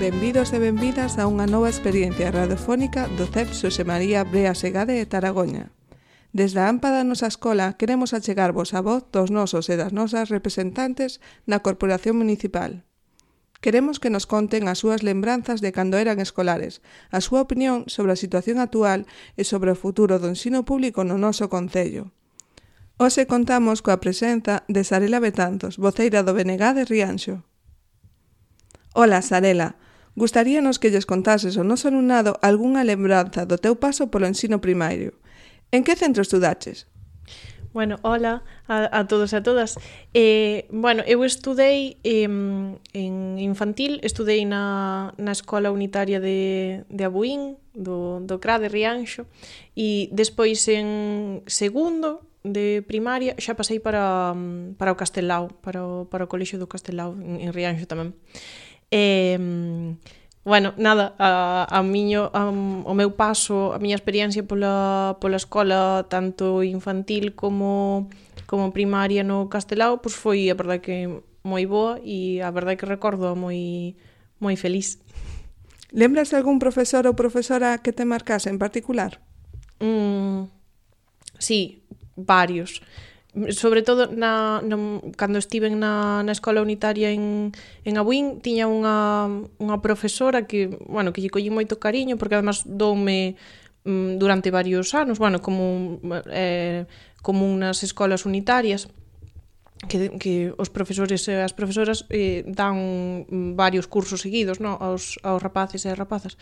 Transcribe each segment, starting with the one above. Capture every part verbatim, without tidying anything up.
Benvidos e benvidas a unha nova experiencia radiofónica do C E P Xosé María Brea Segade de Taragoña. Desde a AMPA da nosa escola queremos achegarvos a voz dos nosos e das nosas representantes na Corporación Municipal. Queremos que nos conten as súas lembranzas de cando eran escolares, a súa opinión sobre a situación actual e sobre o futuro do ensino público no noso concello. Hoxe contamos coa presenza de Sarela Betanzos, voceira do B N G de Rianxo. Ola, Sarela. Gustaríanos que lles contases ao noso alumnado algunha lembranza do teu paso polo ensino primario. En que centro estudaches? Bueno, hola a, a todos e a todas. Eh, bueno, eu estudei eh, en infantil, estudei na, na Escola Unitaria de, de Abuín, do, do C R A de Rianxo, e despois en segundo de primaria xa pasei para, para o Castelao, para o, para o Colexio do Castelao, en, en Rianxo tamén. E, bueno, nada, a, a miño, a, o meu paso, a miña experiencia pola, pola escola, tanto infantil como, como primaria no Castelao, pois foi a verdade que moi boa e a verdade que recordo moi, moi feliz. Lembras algún profesor ou profesora que te marcase en particular? Mm, sí, varios. Sobre todo na, na, cando estiven na, na escola unitaria en, en Abuín, tiña unha, unha profesora que, bueno, que lle collí moito cariño, porque además doume mm, durante varios anos, bueno, como eh, común nas escolas unitarias, que, que os profesores e as profesoras eh, dan varios cursos seguidos, no, aos, aos rapaces e as rapazas.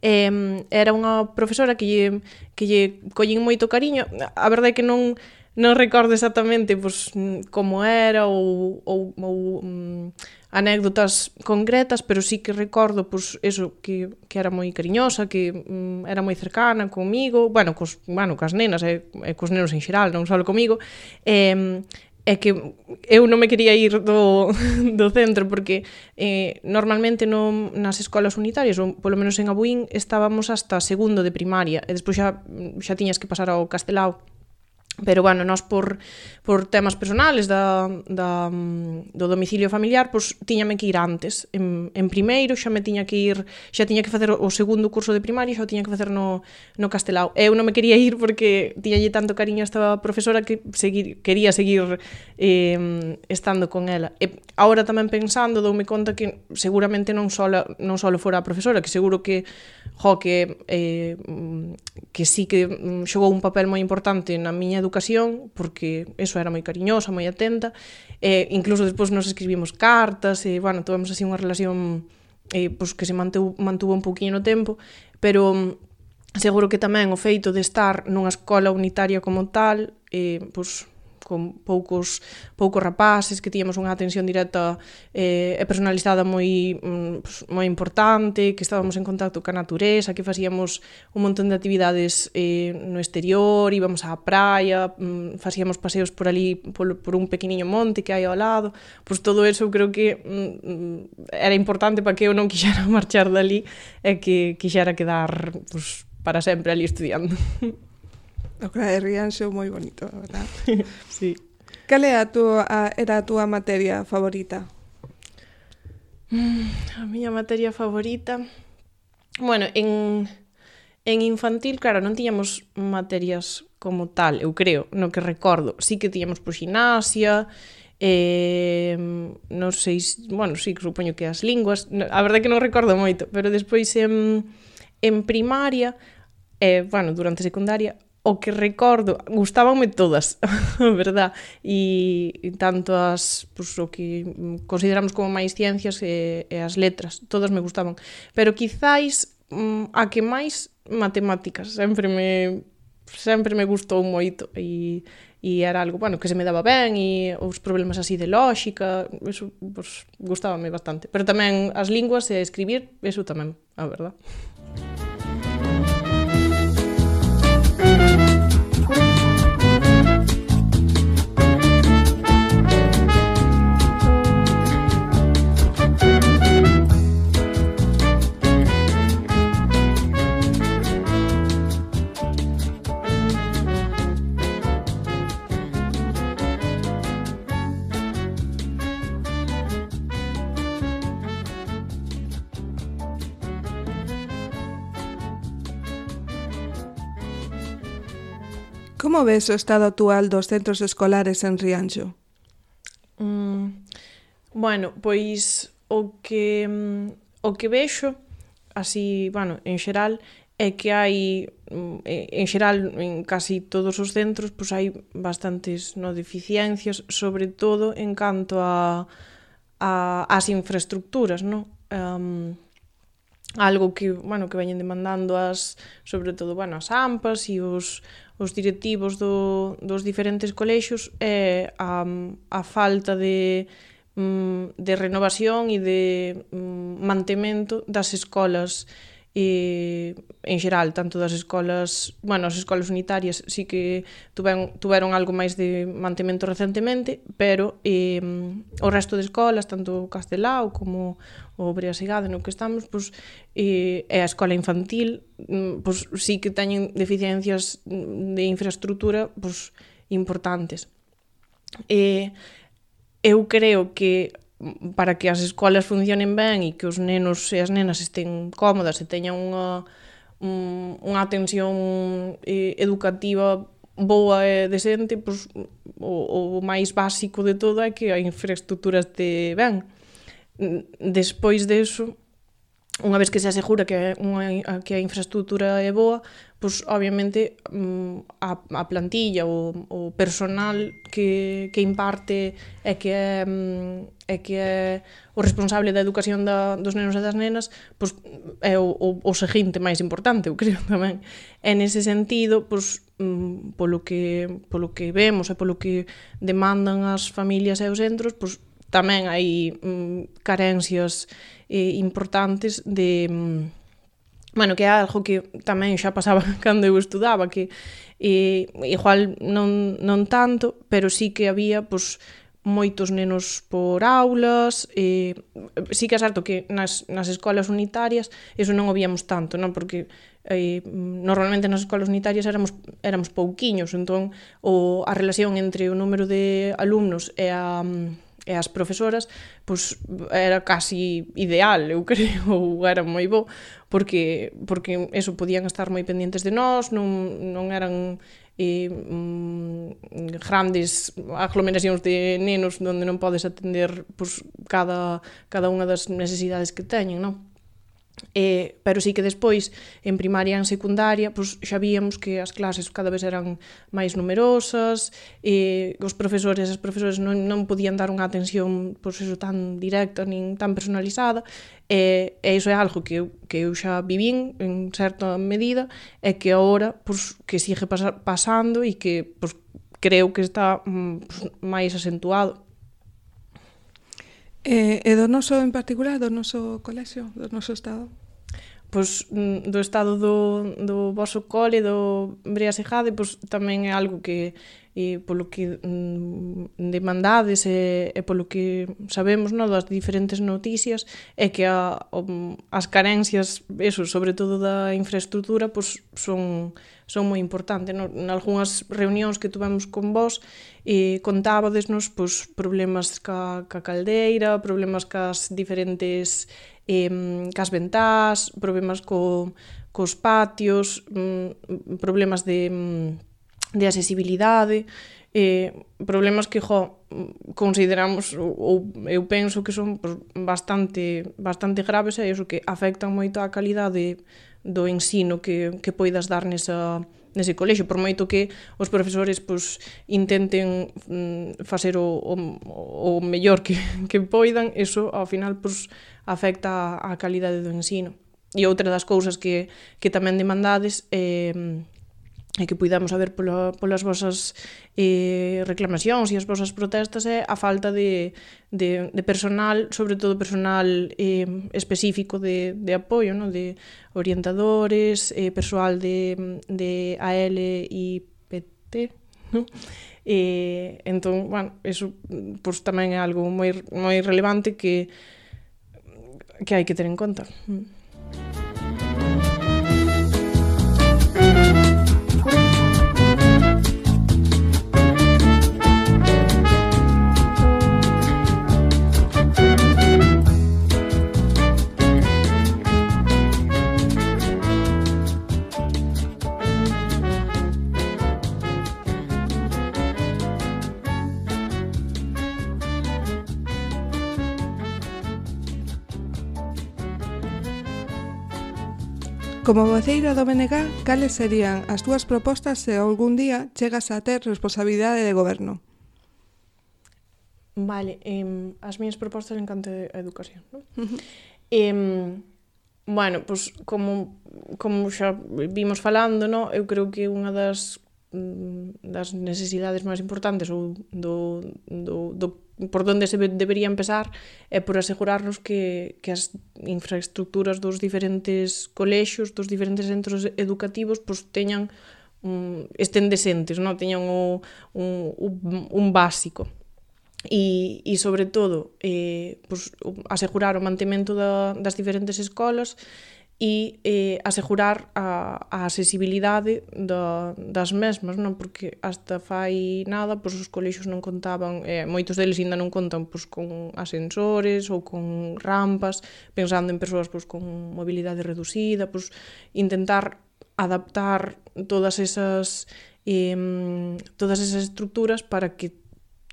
Eh, era unha profesora que lle, que lle collín moito cariño. A verdade é que non non recordo exactamente pois, como era ou, ou, ou um, anécdotas concretas, pero sí que recordo pois, eso, que, que era moi cariñosa, que um, era moi cercana comigo, bueno, cos, bueno, cas nenas e, e cos nenos en xeral, non só comigo, e, é que eu non me quería ir do, do centro porque eh, normalmente no, nas escolas unitarias, ou polo menos en Abuín, estábamos hasta segundo de primaria e despois xa, xa tiñas que pasar ao Castelao. Pero, bueno, nós por, por temas personales da, da, do domicilio familiar, pois tiñame que ir antes. En, en primeiro xa me tiña que ir, xa tiña que facer o segundo curso de primaria, xa o tiña que facer no, no Castelao. Eu non me quería ir porque tiñalle tanto cariño a esta profesora que seguir, quería seguir eh, estando con ela. E agora tamén pensando, doume conta que seguramente non só non só fora a profesora, que seguro que jo, que, eh, que sí que xogou un papel moi importante na miña educación, porque eso era moi cariñosa, moi atenta, e incluso despois nos escribimos cartas, e, bueno, tivemos así unha relación eh, pues, que se mantuvo, mantuvo un pouquinho no tempo, pero seguro que tamén o feito de estar nunha escola unitaria como tal, eh, pues, con poucos poucos rapaces, que tiñamos unha atención directa eh, e personalizada moi pues, moi importante, que estábamos en contacto ca natureza, que facíamos un montón de actividades eh, no exterior, íbamos á praia, mm, facíamos paseos por ali, por, por un pequeniño monte que hai ao lado, pois todo eso creo que mm, era importante para que eu non quixera marchar dali e que quixera quedar pues, para sempre ali estudiando. O C R A de Rianxo moi bonito, verdad? Sí. Cal é a túa, a, era a túa materia favorita? Mm, a miña materia favorita... Bueno, en, en infantil, claro, non tiñamos materias como tal, eu creo, no que recordo. Sí que tiñamos por gimnasia, eh, non sei, bueno, sí, supoño que as linguas, a verdade é que non recordo moito, pero despois en, en primaria, eh, bueno, durante secundaria, o que recordo, gustábanme todas, verdad, e, e tanto as, pues, o que consideramos como máis ciencias e, e as letras, todas me gustaban, pero quizáis mm, a que máis matemáticas, sempre me sempre me gustou moito e, e era algo, bueno, que se me daba ben e os problemas así de lógica, eso, pues, gustábame bastante, pero tamén as linguas e escribir, eso tamén, a verdad. Como ves o estado actual dos centros escolares en Rianxo? Mm, bueno, pois o que o que vexo, así, bueno, en xeral, é que hai, en xeral, en casi todos os centros, pois hai bastantes no, deficiencias, sobre todo en canto a, a as infraestructuras, non? Um, algo que, bueno, que veñen demandando as, sobre todo, bueno, as AMPAs e os, os directivos do, dos diferentes colexios é a, a falta de, de renovación e de mantemento das escolas e, en xeral, tanto das escolas, bueno, as escolas unitarias sí que tuveron, tuveron algo máis de mantemento recentemente, pero eh, o resto de escolas, tanto Castelao como o Brea Segade no que estamos, pois, eh, e a escola infantil, pois, sí que teñen deficiencias de infraestructura pois, importantes. E eu creo que para que as escolas funcionen ben e que os nenos e as nenas estén cómodas e teñan unha, un, unha atención eh, educativa boa e decente, pois, o, o máis básico de todo é que a infraestructura este ben. Despois deso, unha vez que se asegura que, unha, que a infraestructura é boa, pois, obviamente, a, a plantilla, o, o personal que, que imparte e que é, é que é o responsable da educación da, dos nenos e das nenas, pois, é o, o, o seguinte máis importante, eu creo tamén. E nese sentido, pois, polo que, polo que vemos e polo que demandan as familias e os centros, pois, tamén hai mm, carencias eh, importantes de... Mm, bueno, que é algo que tamén xa pasaba cando eu estudaba, que eh, igual non, non tanto, pero sí que había pois, moitos nenos por aulas, eh, sí que é certo que nas, nas escolas unitarias eso non o víamos tanto, non? Porque eh, normalmente nas escolas unitarias éramos, éramos pouquiños, entón o, a relación entre o número de alumnos e a... e as profesoras, pois, era casi ideal, eu creo, ou era moi bo, porque, porque eso, podían estar moi pendientes de nós, non, non eran eh, mm, grandes aglomeracións de nenos onde non podes atender pois, cada, cada unha das necesidades que teñen, non? Eh, pero sí que despois, en primaria e en secundaria, pois, xa víamos que as clases cada vez eran máis numerosas, eh, os profesores e as profesores non, non podían dar unha atención pois, eso, tan directa nin tan personalizada, e, e iso é algo que eu, que eu xa vivín en certa medida, e que agora pois, que sigue pas, pasando e que pois, creo que está pois, máis acentuado. E, e do noso en particular, do noso colexio, do noso estado? Pois do estado do, do voso cole, do Brea Segade, pois tamén é algo que e polo que mm, demandades e, e polo que sabemos, no, das diferentes noticias, é que a, o, as carencias, eso, sobre todo da infraestructura, pois son son moi importantes, no? En algunhas reunións que tuvemos con vos, e contábadesnos pois, problemas ca, ca caldeira, problemas cas diferentes eh, cas ventás, problemas co, cos patios, mm, problemas de, de accesibilidade, eh, problemas que, jo, consideramos, ou eu penso que son pois, bastante, bastante graves, e iso que afectan moito a calidade do ensino que, que poidas dar nesa, nese colexio, por moito que os profesores pois, intenten mm, facer o, o, o mellor que, que poidan, eso ao final pois, afecta a, a calidade do ensino. E outra das cousas que, que tamén demandades é eh, e que puidamos saber pola, polas vosas eh, reclamacións e as vosas protestas é a falta de, de, de personal, sobre todo personal eh, específico de, de apoio, no? De orientadores, eh, persoal de, de A L I P T, no? E, entón, bueno, eso pues, tamén é algo moi, moi relevante que, que hai que ter en conta. Como voceira do B N G, cales serían as túas propostas se algún día chegas a ter responsabilidade de goberno? Vale, eh, as miñas propostas en canto a educación, non? Uh-huh. Eh, bueno, pois, pues, como, como xa vimos falando, no? Eu creo que unha das das necesidades máis importantes ou do, do, do por onde se debería empezar é por asegurarnos que, que as infraestructuras dos diferentes colexios, dos diferentes centros educativos, pues, teñan um, estén decentes, no? Teñan o, un, un, un básico. E, e sobre todo, eh, pues, asegurar o mantemento da, das diferentes escolas e eh, asegurar a, a accesibilidade da, das mesmas, non? Porque hasta fai nada, pois os colexios non contaban, eh, moitos deles ainda non contan pois, con ascensores ou con rampas, pensando en persoas pois, con mobilidade reducida, pois, intentar adaptar todas esas eh, todas esas estructuras para que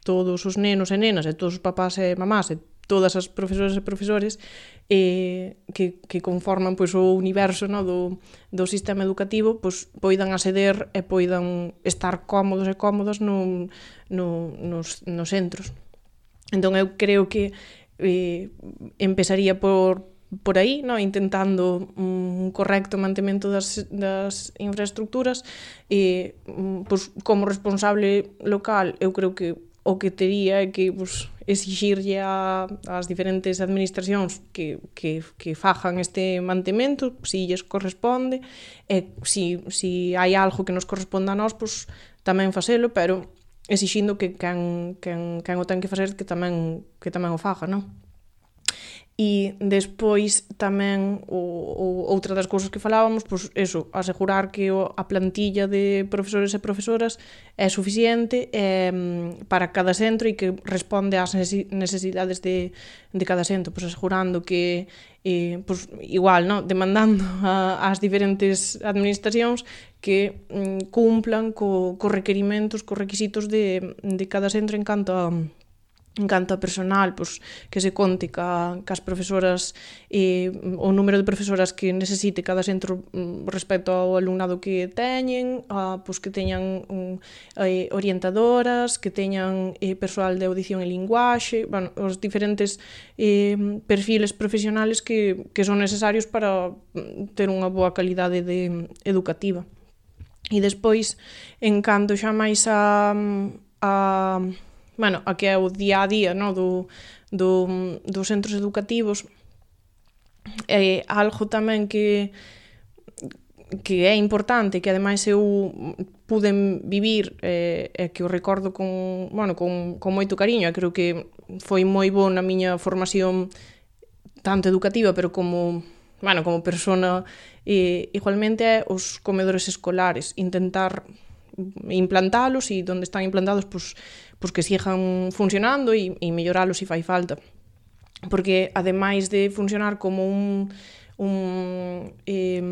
todos os nenos e nenas e todos os papás e mamás e todas as profesoras e profesores eh, que, que conforman pois, o universo, no, do, do sistema educativo pois, poidan acceder e poidan estar cómodos e cómodas no, no, nos, nos centros. Entón eu creo que eh, empezaría por, por aí, no, intentando un correcto mantemento das, das infraestructuras e pois, como responsable local eu creo que o que tería é que pues, exixirlle a, as diferentes administracións que, que, que fajan este mantemento, si lles corresponde, e si, si hai algo que nos corresponda a nós, pues, tamén facelo, pero exixindo que quen, quen, quen o ten que facer que tamén, que tamén o faga, non? E despois tamén o, o, outra das cousas que falábamos, pois eso, asegurar que o, a plantilla de profesores e profesoras é suficiente eh, para cada centro e que responde ás necesidades de, de cada centro, pois asegurando que eh, pois, igual, no? Demandando a, as diferentes administracións que mm, cumplan co, co requerimentos, co requisitos de, de cada centro en canto a en canto a personal, pois, que se conte ca, cas profesoras e o número de profesoras que necesite cada centro respecto ao alumnado que teñen, a, pois, que teñan um, eh, orientadoras, que teñan eh, persoal de audición e linguaxe, bueno, os diferentes eh, perfiles profesionales que, que son necesarios para ter unha boa calidade de, educativa. E despois, en canto xa máis a... a bueno, a que é o día a día, no, do, do, dos centros educativos, é algo tamén que que é importante, que ademais eu pude vivir e eh, que o recordo con, bueno, con, con moito cariño, e creo que foi moi bo na miña formación tanto educativa, pero como, bueno, como persona, eh, igualmente é os comedores escolares, intentar implantalos e onde están implantados, pois, pois que sigan funcionando e, e melloralos se fai falta. Porque, ademais de funcionar como un, un, eh,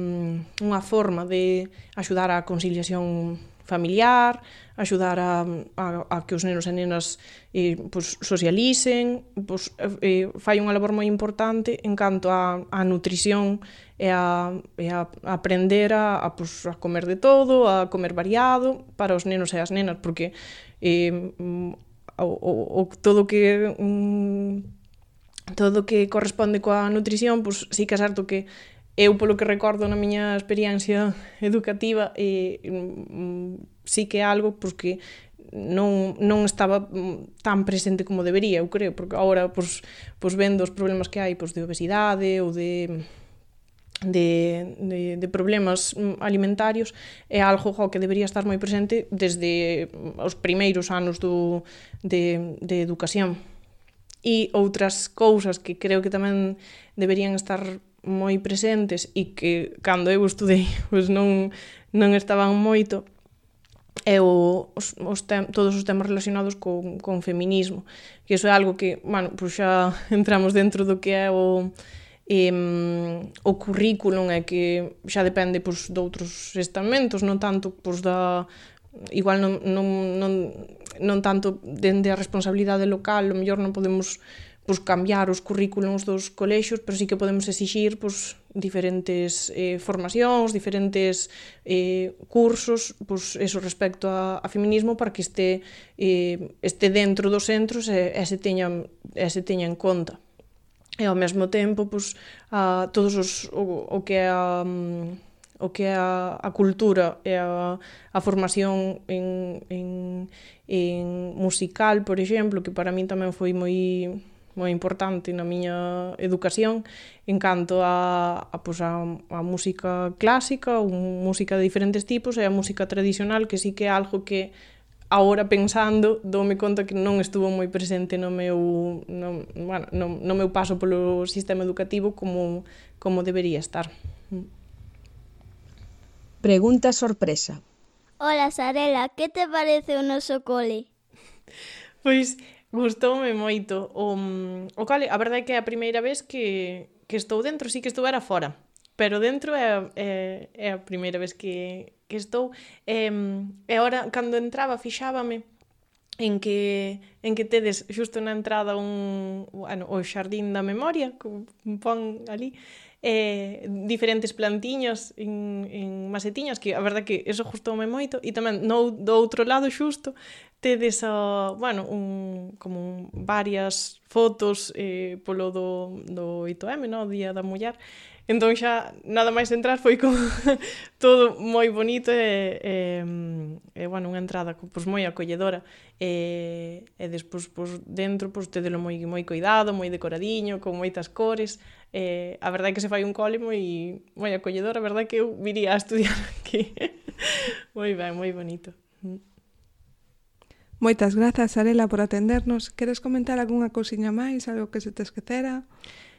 unha forma de axudar á conciliación familiar, axudar a, a, a que os nenos e nenas eh, pois, socialicen, pois, eh, fai unha labor moi importante en canto a, a nutrición e a, e a aprender a, a, pois, a comer de todo, a comer variado para os nenos e as nenas, porque eh, o, o, o, todo que um, todo que corresponde coa nutrición, pois sí que é certo que eu, polo que recordo na miña experiencia educativa, eh, sí que é algo pois, que non, non estaba tan presente como debería, eu creo, porque agora, pois, pois vendo os problemas que hai pois, de obesidade ou de, de, de, de problemas alimentarios, é algo jo, que debería estar moi presente desde os primeiros anos do, de, de educación. E outras cousas que creo que tamén deberían estar moi presentes e que cando eu estudei pois non, non estaban moito é o, os, os tem, todos os temas relacionados con, con feminismo, que iso é algo que, bueno, pois xa entramos dentro do que é o, eh, o currículum, é que xa depende pois, de outros estamentos, non tanto pois, da igual non, non, non, non tanto dende a responsabilidade local, o mellor non podemos pois, cambiar os currículums dos colexios, pero sí que podemos exixir pois, diferentes eh, formacións, diferentes eh, cursos, pois, eso respecto a, a feminismo para que este, eh, este dentro dos centros e, e, se teña, e se teña en conta. E ao mesmo tempo, pois, a, todos os, o, o que é a... o que é a, a cultura e a, a formación en, en, en musical, por exemplo, que para min tamén foi moi moi importante na miña educación en canto a, a, pues a, a música clásica, ou música de diferentes tipos, e a música tradicional, que sí que é algo que agora pensando doume conta que non estuvo moi presente no meu, no, bueno, no, no meu paso polo sistema educativo como, como debería estar. Pregunta sorpresa. Hola, Sarela, que te parece o noso cole? Pois gustoume moito o, o cole. A verdade é que é a primeira vez que, que estou dentro, sí que estuvera fora, pero dentro é, é, é a primeira vez que, que estou. E, e agora, cando entraba, fixábame en que, en que tedes xusto na entrada un, bueno, o xardín da memoria, que pon ali, eh, diferentes plantiños en, en macetiñas, que a verdade que eso gustoume moito, e tamén no, do outro lado xusto tedes a, bueno, un, como un, varias fotos eh, polo do, do oito eme, no? O Día da Muller. Entón xa nada máis entrar foi como todo moi bonito e, e, e bueno, unha entrada pois, moi acolledora e, e despois pois, dentro pois, tedelo moi, moi cuidado, moi decoradiño, con moitas cores. E, a verdade é que se fai un cole moi, moi acolledor, a verdade é que eu viría a estudiar aquí. Moi ben, moi bonito. Moitas grazas, Sarela, por atendernos. Queres comentar algunha cousiña máis, algo que se te esquecera?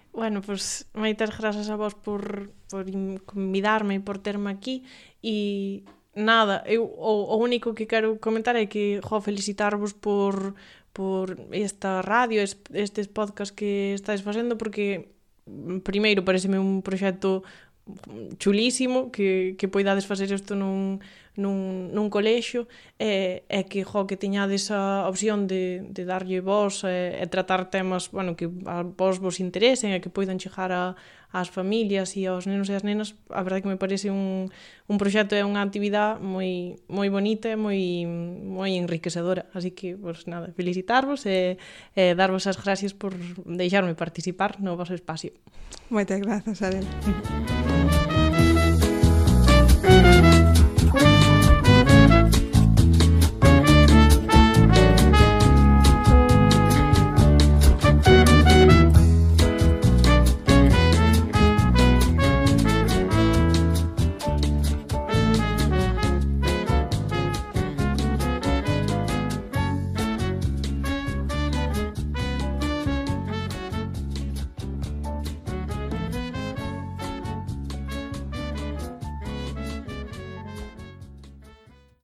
Bueno, pois moitas grazas a vos por, por convidarme e por terme aquí e nada, eu o, o único que quero comentar é que jo, felicitarvos por, por esta radio, estes podcast que estáis facendo, porque primeiro pareceme un proxecto chulísimo que, que poidades facer isto nun, nun, nun colexio e, e que, jo, que teñades a opción de, de darlle voz e, e tratar temas, bueno, que a vos vos interesen e que poidan chegar a, ás familias e aos nenos e as nenas. A verdade que me parece un, un proxecto e unha actividade moi, moi bonita e moi, moi enriquecedora, así que, pues nada, felicitarvos e, e darvos as gracias por deixarme participar no vosso espacio. Moitas grazas, Sarela.